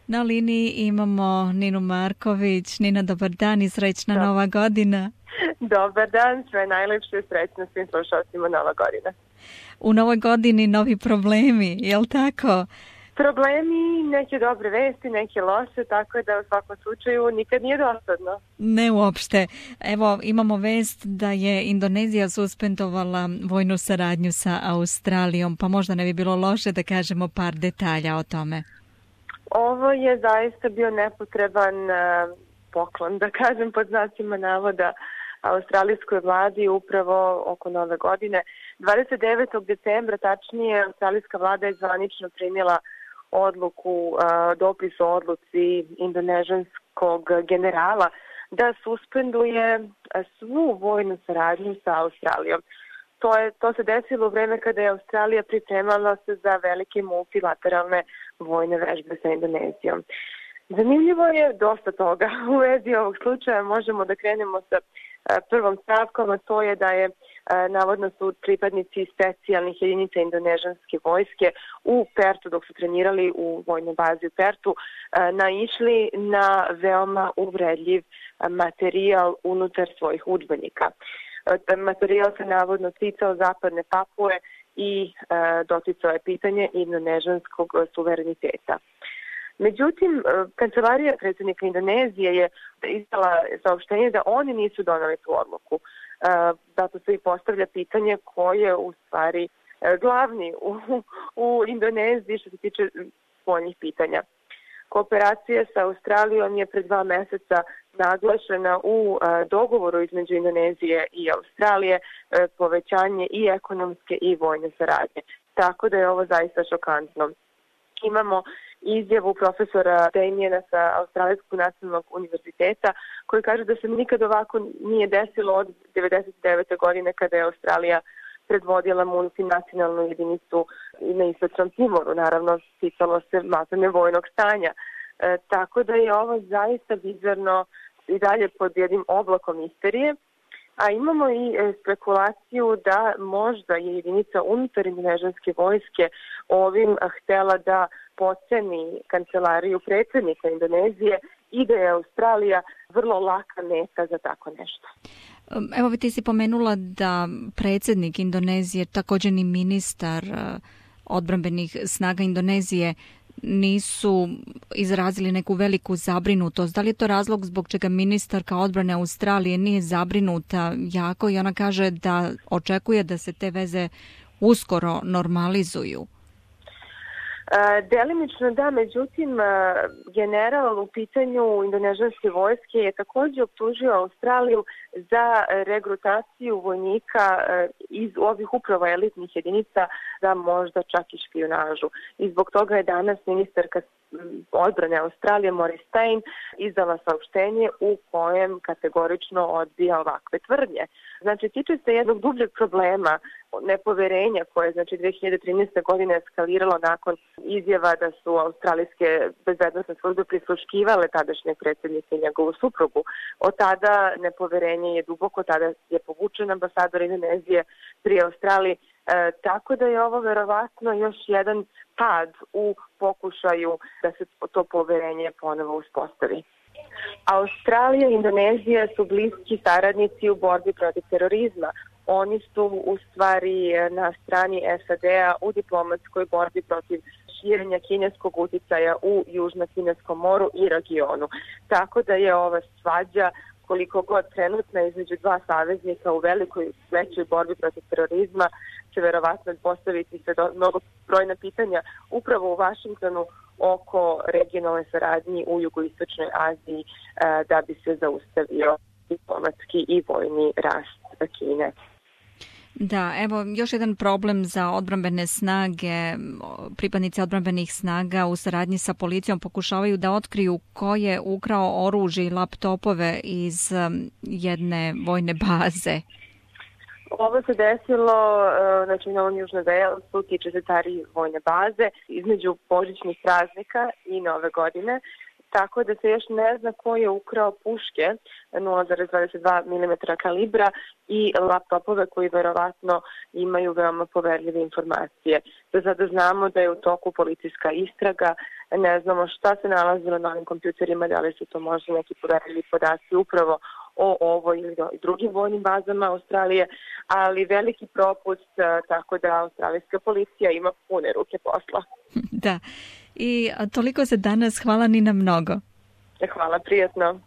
Na liniji imamo Ninu Marković. Nina, dobar dan i srećna Nova godina. Dobar dan, sve najlepše, srećno svim slušalcima Nova godina. U Novoj godini novi problemi, je li tako? Problemi, neke dobre vesti, neke loše, tako da u svakom slučaju nikad nije dosadno. Ne uopšte. Evo, imamo vest da je Indonezija suspendovala vojnu saradnju sa Australijom, pa možda ne bi bilo loše da kažemo par detalja o tome. Ovo je zaista bio nepotreban poklon, da kažem pod znacima navoda, australijskoj vladi upravo oko Nove godine. 29. decembra, tačnije, australijska vlada je zvanično primila odluku, dopis o odluci indonežanskog generala da suspenduje svu vojnu saradnju sa Australijom. To se desilo u vreme kada je Australija pripremala se za velike multilateralne vojne vežbe sa Indonezijom. Zanimljivo je dosta toga u vezi ovog slučaja. Možemo da krenemo sa prvom stavkom, a to je da je navodno su pripadnici specijalnih jedinica indonežanske vojske u Pertu, dok su trenirali u vojnoj bazi u Pertu, naišli na veoma uvredljiv materijal unutar svojih udžbenika. Materijal se navodno ticao zapadne Papue i doticao je pitanje indonežanskog suvereniteta. Međutim, kancelarija predsjednika Indonezije je izdala saopštenje da oni nisu doneli tu odluku. Zato se i postavlja pitanje ko je u stvari glavni u Indoneziji što se tiče spoljnih pitanja. Kooperacija sa Australijom je pred 2 meseca naglašena u dogovoru između Indonezije i Australije, povećanje i ekonomske i vojne saradnje. Tako da je ovo zaista šokantno. Imamo izjavu profesora Damiena sa Australijskog nacionalnog univerziteta koji kaže da se nikad ovako nije desilo od 1999. godine kada je Australija predvodila multinacionalnu jedinicu na Istočnom Timoru. Naravno, ticalo se masovne vojnog stanja. Tako da je ovo zaista bizarno i dalje pod jednim oblakom misterije. A imamo i spekulaciju da možda je jedinica unutar indonežanske vojske ovim htela da potceni kancelariju predsjednika Indonezije i da je Australija vrlo laka meta za tako nešto. Evo, ti si pomenula da predsjednik Indonezije, također ni ministar odbrambenih snaga Indonezije nisu izrazili neku veliku zabrinutost. Da li je to razlog zbog čega ministarka odbrane Australije nije zabrinuta jako i ona kaže da očekuje da se te veze uskoro normalizuju? Delimično da, međutim general u pitanju indonežanske vojske je također optužio Australiju za regrutaciju vojnika iz ovih upravo elitnih jedinica za možda čak i špijunažu. I zbog toga je danas ministarka odbrane Australije Maurice Stein izdala saopštenje u kojem kategorično odbija ovakve tvrdnje. Znači, tiče se jednog dubljeg problema nepoverenja koje je 2013. godine eskaliralo nakon izjava da su australijske bezbednosne službe prisluškivale tadašnjeg predsjednika i njegovu suprugu. Od tada nepoverenje je duboko, tada je povučen ambasador Indonezije pri Australiji, tako da je ovo verovatno još jedan pad u pokušaju da se to poverenje ponovo uspostavi. Australija i Indonezija su bliski saradnici u borbi protiv terorizma. Oni su u stvari na strani SAD-a u diplomatskoj borbi protiv širenja kineskog uticaja u Južno-Kineskom moru i regionu. Tako da je ova svađa koliko god trenutna između dva saveznika u velikoj većoj borbi protiv terorizma će verovatno postaviti se mnogo brojna pitanja upravo u Vašingtonu oko regionalne saradnje u jugoistočnoj Aziji da bi se zaustavio diplomatski i vojni rast Kine. Da, evo još jedan problem za odbrambene snage. Pripadnici odbrambenih snaga u saradnji sa policijom pokušavaju da otkriju ko je ukrao oružje i laptopove iz jedne vojne baze. Ovo se desilo na Novom Južnom Velsu, tiče se Tari vojne baze, između božićnih praznika i Nove godine. tako da se još ne zna ko je ukrao puške 0,22 mm kalibra i laptopove koji verovatno imaju veoma poverljive informacije. Do sada znamo da je u toku policijska istraga, ne znamo šta se nalazilo na ovim kompjuterima, da li su to možda neki poverljivi podaci upravo o ovoj ili drugim vojnim bazama Australije, ali veliki propust, tako da australijska policija ima pune ruke posla. Da, i toliko za danas. Hvala Nina mnogo. Hvala, prijatno.